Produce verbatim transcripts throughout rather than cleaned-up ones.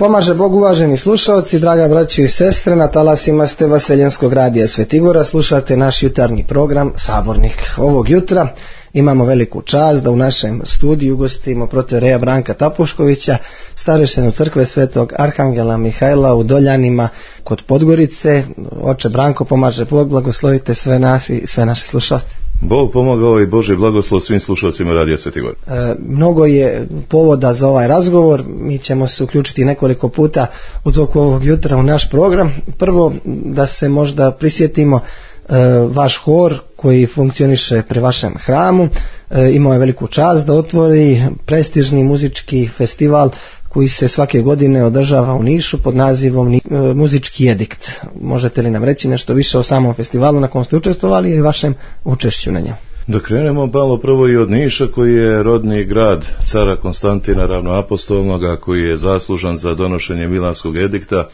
Pomaže Bog, uvaženi slušalci, draga braćo i sestre, na talasima ste Vaseljenskog radija Svetigora, slušate naš jutarnji program Sabornik. Ovog jutra imamo veliku čast da u našem studiju ugostimo protoijereja Branka Tapuškovića, starešinu crkve Svetog Arhangela Mihajla u Doljanima kod Podgorice. Oče Branko, pomaže Bog, blagoslovite sve nas i sve naše slušalce. Bog pomogao i Božji blagoslov svim slušalcima radija Svetigor. E, mnogo je povoda za ovaj razgovor, mi ćemo se uključiti nekoliko puta u toku ovog jutra u naš program. Prvo da se možda prisjetimo e, vaš hor koji funkcioniše pri vašem hramu, e, imao je veliku čast da otvori prestižni muzički festival koji se svake godine održava u Nišu pod nazivom e, Muzički edikt. Možete li nam reći nešto više o samom festivalu na kom ste učestvovali i vašem učešću na njemu? Da krenemo malo prvo i od Niša, koji je rodni grad cara Konstantina Ravnoapostolnoga, koji je zaslužan za donošenje Milanskog edikta,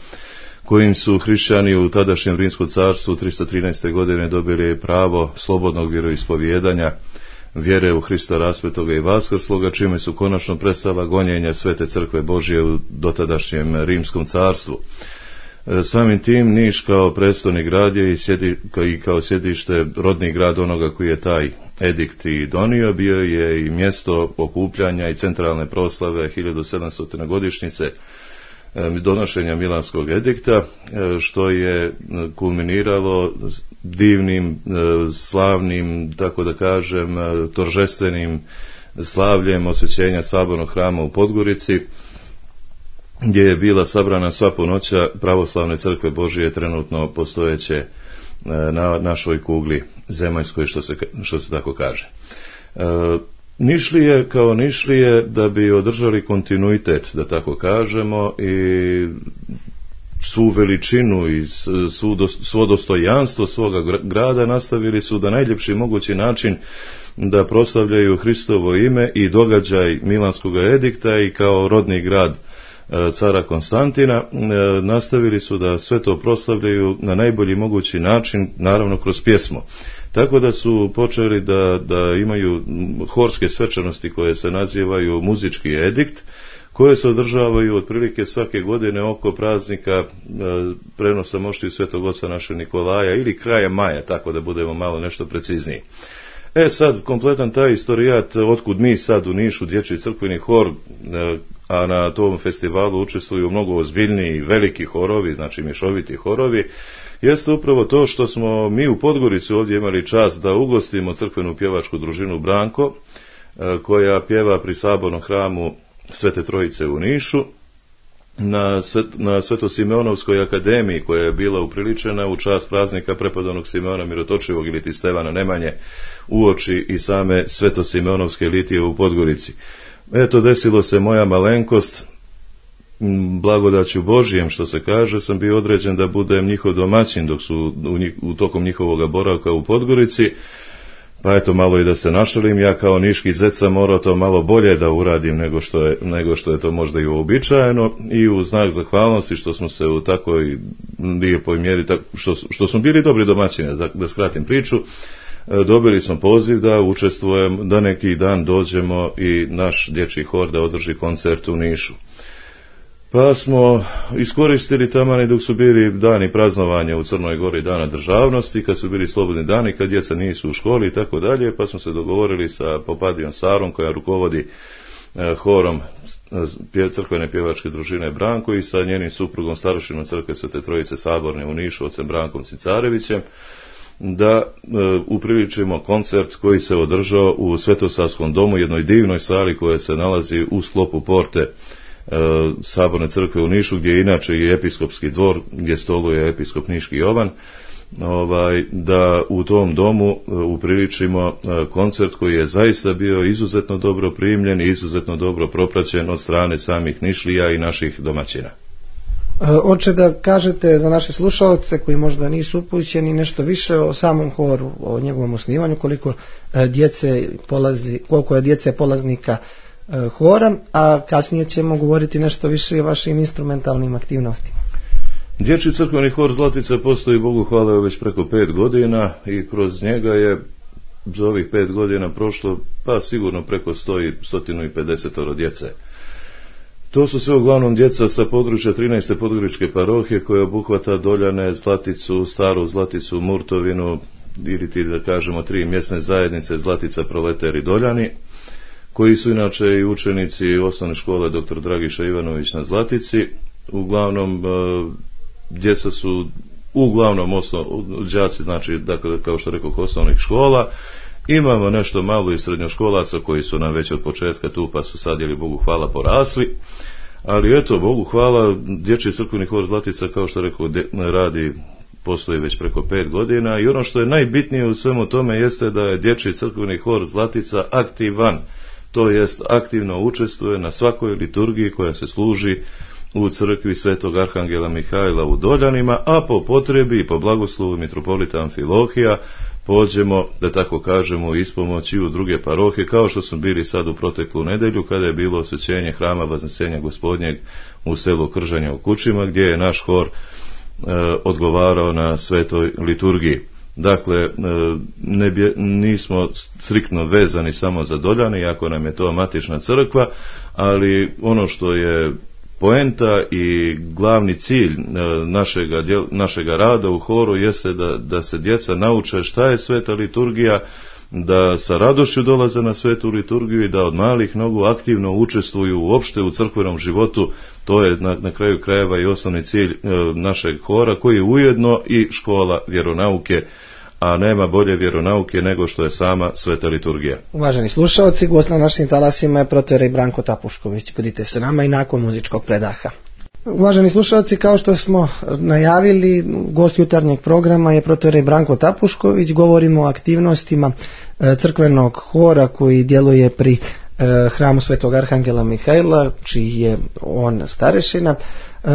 kojim su hrišćani u tadašnjem Rimskom carstvu tristo trinaeste. godine dobili pravo slobodnog vjeroispovijedanja, vjere u Hrista raspetoga i vaskrsloga, čime su konačno prestala gonjenja Svete crkve Božje u dotadašnjem Rimskom carstvu. Samim tim Niš kao prestolni grad je i, sjedi, i kao sjedište rodni grad onoga koji je taj edikt i donio, bio je i mjesto okupljanja i centralne proslave hiljadu sedamstote. godišnjice donošenja Milanskog edikta, što je kulminiralo divnim, slavnim, tako da kažem, toržestvenim slavljem osvećenja sabornog hrama u Podgorici, gdje je bila sabrana sva punoća pravoslavne crkve Božije trenutno postojeće na našoj kugli zemaljskoj, što se, što se tako kaže. Nišlije kao Nišlije, da bi održali kontinuitet, da tako kažemo, i svu veličinu i svo dostojanstvo svoga grada, nastavili su da najljepši mogući način da proslavljaju Hristovo ime i događaj Milanskog edikta i kao rodni grad cara Konstantina, nastavili su da sve to proslavljaju na najbolji mogući način, naravno kroz pjesmu. Tako da su počeli da, da imaju horske svečanosti koje se nazivaju muzički edikt, koje se održavaju otprilike svake godine oko praznika prenosa mošti Svetog Oca našeg Nikolaja ili kraja maja, tako da budemo malo nešto precizniji. E sad, kompletan taj istorijat, otkud mi sad u Nišu, dječji crkveni hor, a na tom festivalu učestvuju mnogo ozbiljniji veliki horovi, znači mješoviti horovi, jeste upravo to što smo mi u Podgorici ovdje imali čast da ugostimo crkvenu pjevačku družinu Branko, koja pjeva pri sabornom hramu Svete Trojice u Nišu, na, svet, na Svetosimeonovskoj akademiji, koja je bila upriličena u čast praznika prepodobnog Simeona Mirotočivog ili ti Stevana Nemanje, uoči i same Svetosimeonovske litije u Podgorici. Eto, desilo se moja malenkost, blagodaću Božijem, što se kaže, sam bio određen da budem njihov domaćin dok su u, njih, u tokom njihovog boravka u Podgorici. Pa eto, malo i da se našalim, ja kao niški zec sam morao to malo bolje da uradim nego što je, nego što je to možda i uobičajeno, i u znak zahvalnosti što smo se u takvoj lijepoj mjeri, što, što smo bili dobri domaćini, da, da skratim priču, dobili smo poziv da učestvujemo, da neki dan dođemo i naš dječji hor da održi koncert u Nišu. Pa smo iskoristili tamani dok su bili dani praznovanja u Crnoj Gori, dana državnosti, kad su bili slobodni dani, kad djeca nisu u školi i tako dalje, pa smo se dogovorili sa Popadijom Sarom, koja rukovodi horom crkvene pjevačke družine Branko, i sa njenim suprugom starošinom crkve Svete Trojice Saborne u Nišu, ocem Brankom Cicarevićem, da e, upriličimo koncert koji se održao u Svetosavskom domu, jednoj divnoj sali koja se nalazi u sklopu porte e, Saborne crkve u Nišu, gdje je inače i episkopski dvor, gdje stoluje episkop Niški Jovan, ovaj, da u tom domu e, upriličimo e, koncert koji je zaista bio izuzetno dobro primljen i izuzetno dobro propraćen od strane samih Nišlija i naših domaćina. Oče, da kažete za naše slušalce koji možda nisu upućeni nešto više o samom horu, o njegovom osnivanju, koliko djece polazi, koliko je djece polaznika hora, a kasnije ćemo govoriti nešto više o vašim instrumentalnim aktivnostima. Dječji crkveni hor Zlatica postoji, Bogu hvala, već preko pet godina i kroz njega je za ovih pet godina prošlo pa sigurno preko sto i pedeset djece. To su sve uglavnom djeca sa područja trinaeste podgoričke parohije koja obuhvata Doljane, Zlaticu, Staru Zlaticu, Murtovinu ili ti da kažemo tri mjesne zajednice Zlatica, Proleter i Doljani, koji su inače i učenici osnovne škole doktor Dragiša Ivanović na Zlatici. Uglavnom djeca su uglavnom osnov, đaci, znači dakle, kao što rekao, osnovnih škola. Imamo nešto malo i srednjoškolaca koji su nam već od početka tu, pa su sad, jeli Bogu hvala, porasli. Ali eto, Bogu hvala, Dječji crkveni hor Zlatica, kao što rekao, radi, postoji već preko pet godina i ono što je najbitnije u svemu tome jeste da je Dječji crkveni hor Zlatica aktivan, to jest aktivno učestvuje na svakoj liturgiji koja se služi u crkvi Svetog Arhangela Mihajla u Doljanima, a po potrebi i po blagoslovu mitropolita Amfilohija pođemo, da tako kažemo, u ispomoć i u druge parohije, kao što smo bili sad u proteklu nedelju kada je bilo osvećenje hrama Vaznesenja Gospodnjeg u selu Kržanja u Kučima, gdje je naš hor e, odgovarao na svetoj liturgiji. Dakle, e, ne bje, nismo striktno vezani samo za Doljane, iako nam je to matična crkva, ali ono što je poenta i glavni cilj našega, našega rada u horu jeste da, da se djeca nauče šta je sveta liturgija, da sa radošću dolaze na svetu liturgiju i da od malih nogu aktivno učestvuju uopšte u crkvenom životu. To je na, na kraju krajeva i osnovni cilj e, našeg hora, koji je ujedno i škola vjeronauke, a nema bolje vjeronauke nego što je sama sveta liturgija. Uvaženi slušalci, gost na našim talasima je protoijerej Branko Tapušković. Budite se nama i nakon muzičkog predaha. Uvaženi slušalci, kao što smo najavili, gost jutarnjeg programa je protoijerej Branko Tapušković. Govorimo o aktivnostima crkvenog hora koji djeluje pri hramu Svetog Arhangela Mihajla, čiji je on starešina.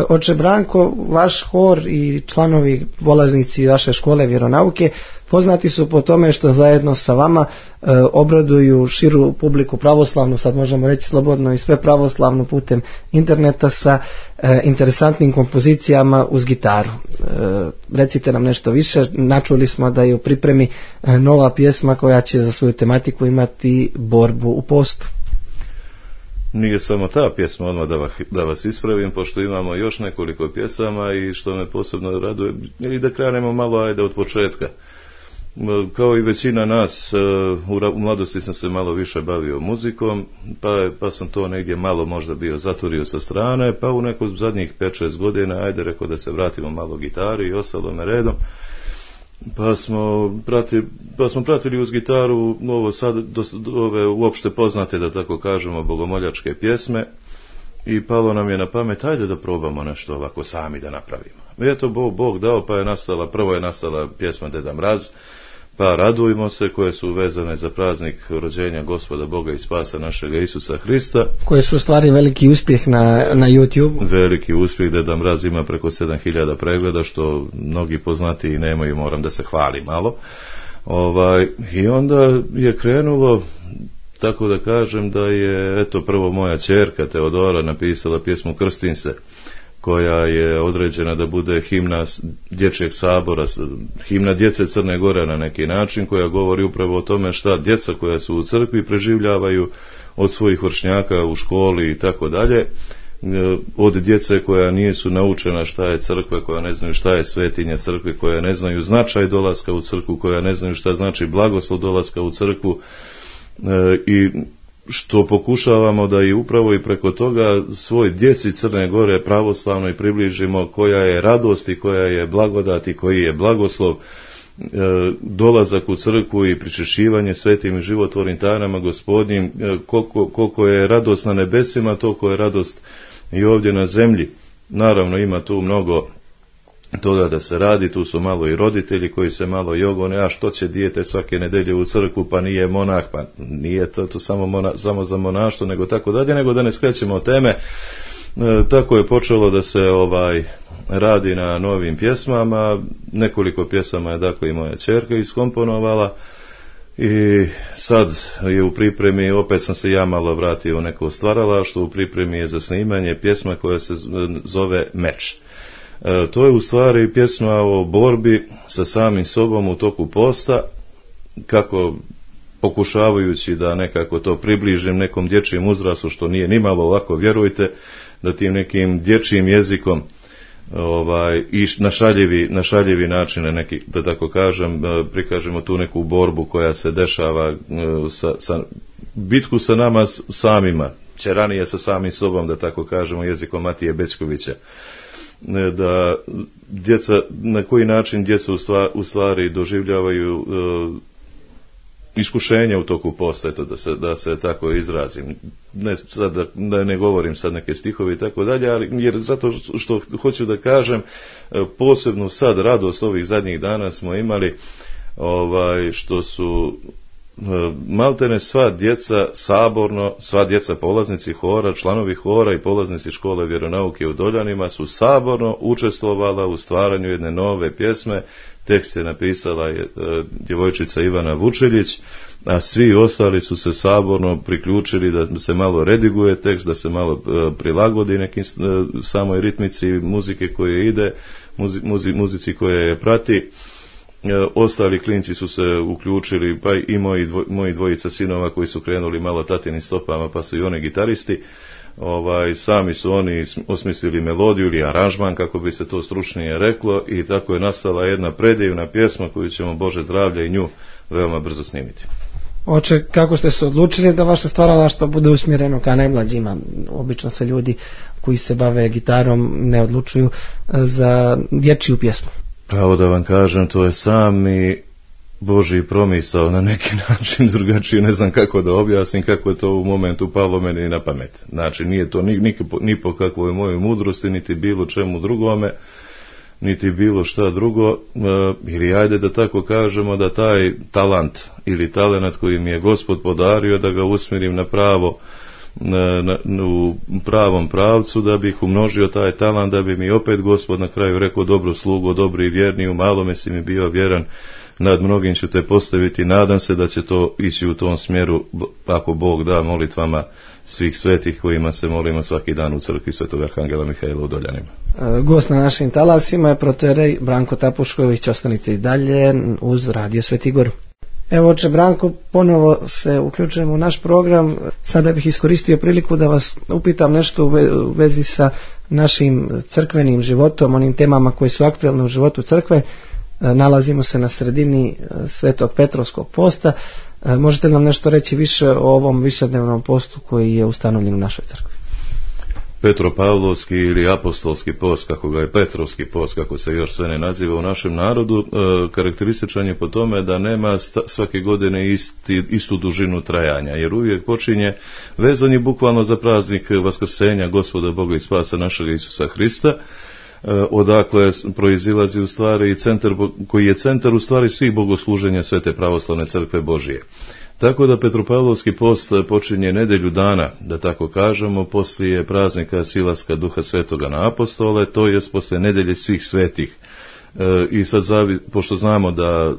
Oče Branko, vaš hor i članovi polaznici vaše škole vjeronauke poznati su po tome što zajedno sa vama e, obraduju širu publiku pravoslavnu, sad možemo reći slobodno i sve pravoslavno, putem interneta sa e, interesantnim kompozicijama uz gitaru. E, recite nam nešto više. Načuli smo da je u pripremi e, nova pjesma koja će za svoju tematiku imati borbu u postu. Nije samo ta pjesma, odmah da vas, da vas ispravim, pošto imamo još nekoliko pjesama i što me posebno raduje, ili da krenemo malo, ajde od početka. Kao i većina nas, u mladosti sam se malo više bavio muzikom, pa, pa sam to negdje malo možda bio zaturio sa strane, pa u neko zadnjih pet šest godina, ajde rekao da se vratimo malo gitari i ostalome redom. Pa smo, pratili, pa smo pratili uz gitaru ovo sad, do, ove uopšte poznate, da tako kažemo, bogomoljačke pjesme i palo nam je na pamet, ajde da probamo nešto ovako sami da napravimo. I eto, Bog, Bog dao, pa je nastala, prvo je nastala pjesma Deda Mraz, pa radujmo se, koje su vezane za praznik rođenja Gospoda Boga i spasa našega Isusa Hrista. Koje su stvari veliki uspjeh na, na YouTube. Veliki uspjeh, Deda Mraz ima preko sedam hiljada pregleda, što mnogi poznati i nemaju, moram da se hvali malo. Ovaj, I onda je krenulo, tako da kažem, da je, eto, prvo moja ćerka Teodora napisala pjesmu Krstim se, koja je određena da bude himna dječjeg sabora, himna djece Crne Gore na neki način, koja govori upravo o tome šta djeca koja su u crkvi preživljavaju od svojih vršnjaka u školi i tako dalje, od djece koja nisu naučena šta je crkva, koja ne znaju šta je svetinja crkve, koja ne znaju značaj dolaska u crkvu, koja ne znaju šta znači blagoslov dolaska u crkvu, i što pokušavamo da i upravo i preko toga svoj djeci Crne Gore pravoslavno i približimo koja je radost i koja je blagodat i koji je blagoslov, e, dolazak u crkvu i pričešćivanje svetim i životvornim tajnama Gospodnjim, e, koliko, koliko je radost na nebesima, toliko je radost i ovdje na zemlji. Naravno ima tu mnogo toga da se radi, tu su malo i roditelji koji se malo jogone, a što će dijete svake nedelje u crkvu, pa nije monah, pa nije to, to samo, mona, samo za monaštvo, nego tako dalje, nego da ne skrećemo od teme. E, tako je počelo da se ovaj radi na novim pjesmama, nekoliko pjesama je dakle i moja ćerka iskomponovala i sad je u pripremi, opet sam se ja malo vratio u neko stvaralaštvo, u pripremi je za snimanje pjesma koja se zove Meč. E, to je u stvari pjesma o borbi sa samim sobom u toku posta, kako pokušavajući da nekako to približim nekom dječjem uzrastu, što nije nimalo lako, vjerujte, da tim nekim dječjim jezikom ovaj, i na šaljivi, na šaljivi načine neki, da tako kažem, prikažemo tu neku borbu koja se dešava sa, sa bitku sa nama samima, ćeranije sa samim sobom, da tako kažemo, jezikom Matije Bećkovića. Da djeca, na koji način djeca u stvari doživljavaju uh, iskušenja u toku posta, eto, da se, da se tako izrazim. Ne, sad, da, da ne govorim sad neke stihovi i tako dalje, ali jer zato što hoću da kažem, posebno sad radost ovih zadnjih dana smo imali, ovaj, što su maltene sva djeca saborno, sva djeca polaznici hora, članovi hora i polaznici škole vjeronauke u Doljanima su saborno učestvovala u stvaranju jedne nove pjesme. Tekst je napisala je, e, djevojčica Ivana Vučeljić, a svi ostali su se saborno priključili da se malo rediguje tekst, da se malo e, prilagodi nekim e, samoj ritmici muzike koje ide, muzi, muzi, muzici koje je prati. Ostali klinci su se uključili, pa i moji, dvoj, moji dvojica sinova koji su krenuli malo tatinim stopama, pa su i oni gitaristi. Ovaj, sami su oni osmislili melodiju ili aranžman, kako bi se to stručnije reklo, i tako je nastala jedna predivna pjesma koju ćemo, Bože zdravlja, i nju veoma brzo snimiti. Oče, kako ste se odlučili da vaše stvaralaštvo bude usmjereno ka najmlađima? Obično se ljudi koji se bave gitarom ne odlučuju za dječju pjesmu. Pravo da vam kažem, to je sami Božji promisao na neki način, drugačije ne znam kako da objasnim, kako je to u momentu palo meni na pamet. Znači, nije to ni, ni, ni po kakvoj mojoj mudrosti, niti bilo čemu drugome, niti bilo šta drugo, e, ili ajde da tako kažemo, da taj talant ili talenat koji mi je Gospod podario, da ga usmjerim na pravo, Na, na, u pravom pravcu, da bih umnožio taj talant, da bi mi opet Gospod na kraju rekao: dobro slugo, dobri i vjerni, u malome si mi bio vjeran, nad mnogim ću te postaviti. Nadam se da će to ići u tom smjeru, ako Bog da, molitvama svih svetih kojima se molimo svaki dan u crkvi Svetog Arhangela Mihajla u Doljanima. Gost na našim talasima je protoijerej Branko Tapušković. Ostanite i dalje uz Radio Sveti Gor. Evo, oče Branko, ponovo se uključujemo u naš program. Sada bih iskoristio priliku da vas upitam nešto u vezi sa našim crkvenim životom, onim temama koji su aktuelne u životu crkve. Nalazimo se na sredini Svetog Petrovskog posta. Možete li nam nešto reći više o ovom višednevnom postu koji je ustanovljen u našoj crkvi? Petropavlovski ili apostolski post, kako ga je Petrovski post, kako se još sve ne naziva u našem narodu, e, karakterističan je po tome da nema sta, svake godine isti, istu dužinu trajanja, jer uvijek počinje vezan je bukvalno za praznik Vaskrsenja Gospoda Boga i Spasa našega Isusa Hrista, e, odakle proizilazi u stvari centar, koji je centar u stvari svih bogosluženja Svete pravoslavne crkve Božije. Tako da Petropavlovski post počinje nedjelju dana, da tako kažemo, poslije praznika silaska Duha Svetoga na apostole, to jest poslije nedjelje svih svetih. E, I sad, zavi, pošto znamo da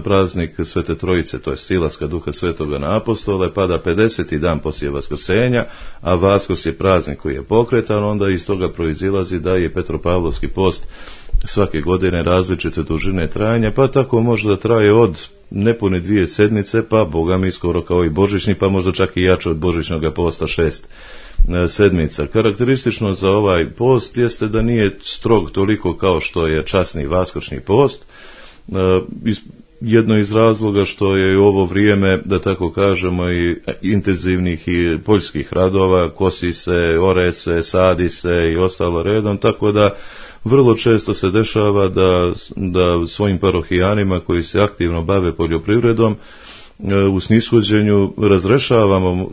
praznik Svete Trojice, to je silaska Duha Svetoga na apostole, pada pedeseti dan poslije Vaskrsenja, a Vaskrs je praznik koji je pokretan, onda iz toga proizilazi da je Petropavlovski post svake godine različite dužine trajanja, pa tako može da traje od nepune dvije sedmice, pa Boga mi skoro kao i božićni, pa možda čak i jače od božićnog posta šest sedmica. Karakteristično za ovaj post jeste da nije strog toliko kao što je časni vaskršnji post, jedno iz razloga što je u ovo vrijeme, da tako kažemo, i intenzivnih i poljskih radova, kosi se, ore se, sadi se i ostalo redom, tako da vrlo često se dešava da, da svojim parohijanima koji se aktivno bave poljoprivredom u snishođenju razrešavamo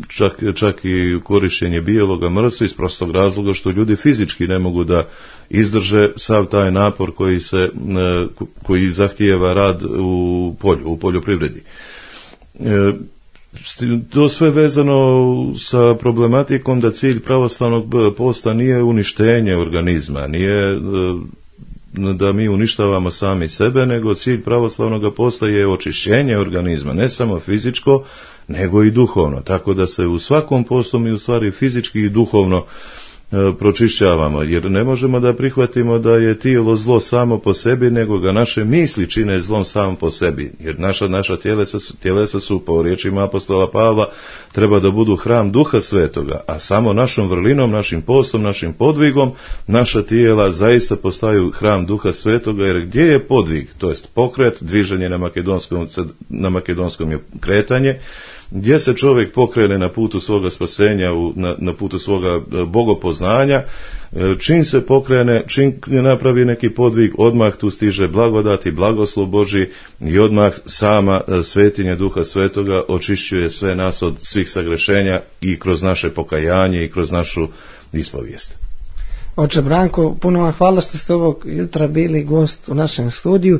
čak, čak i korištenje bijeloga mrsa iz prostog razloga što ljudi fizički ne mogu da izdrže sav taj napor koji, se, koji zahtijeva rad u polju, u poljoprivredi. To sve vezano sa problematikom da cilj pravoslavnog posta nije uništenje organizma, nije da mi uništavamo sami sebe, nego cilj pravoslavnog posta je očišćenje organizma, ne samo fizičko, nego i duhovno. Tako da se u svakom postu mi u stvari fizički i duhovno pročišćavamo, jer ne možemo da prihvatimo da je tijelo zlo samo po sebi, nego ga naše misli čine zlom samo po sebi, jer naša, naša tjelesa, tjelesa su, po riječima apostola Pavla, treba da budu hram Duha Svetoga, a samo našom vrlinom, našim postom, našim podvigom, naša tijela zaista postaju hram Duha Svetoga, jer gdje je podvig, to jest pokret, dviženje na makedonskom, na makedonskom je kretanje, gdje se čovjek pokrene na putu svoga spasenja, na, na putu svoga bogopoznanja, čim se pokrene, čim napravi neki podvig, odmah tu stiže blagodat i blagoslov Božji i odmah sama svetinja Duha Svetoga očišćuje sve nas od svih sagrešenja i kroz naše pokajanje i kroz našu ispovijest. Oče Branko, puno vam hvala što ste ovog jutra bili gost u našem studiju.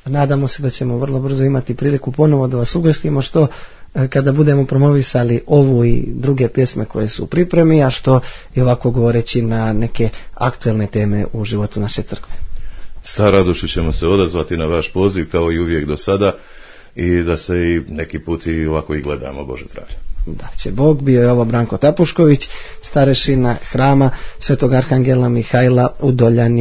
Nadamo se da ćemo vrlo brzo imati priliku ponovo da vas ugostimo, što kada budemo promovisali ovu i druge pjesme koje su u pripremi, a što i ovako govoreći na neke aktuelne teme u životu naše crkve. Sa radošću ćemo se odazvati na vaš poziv kao i uvijek do sada i da se i neki put i ovako i gledamo, Bože zdravlje. Da će Bog. Bio je ovo Branko Tapušković, starešina hrama Svetog Arhangela Mihajla u Doljani.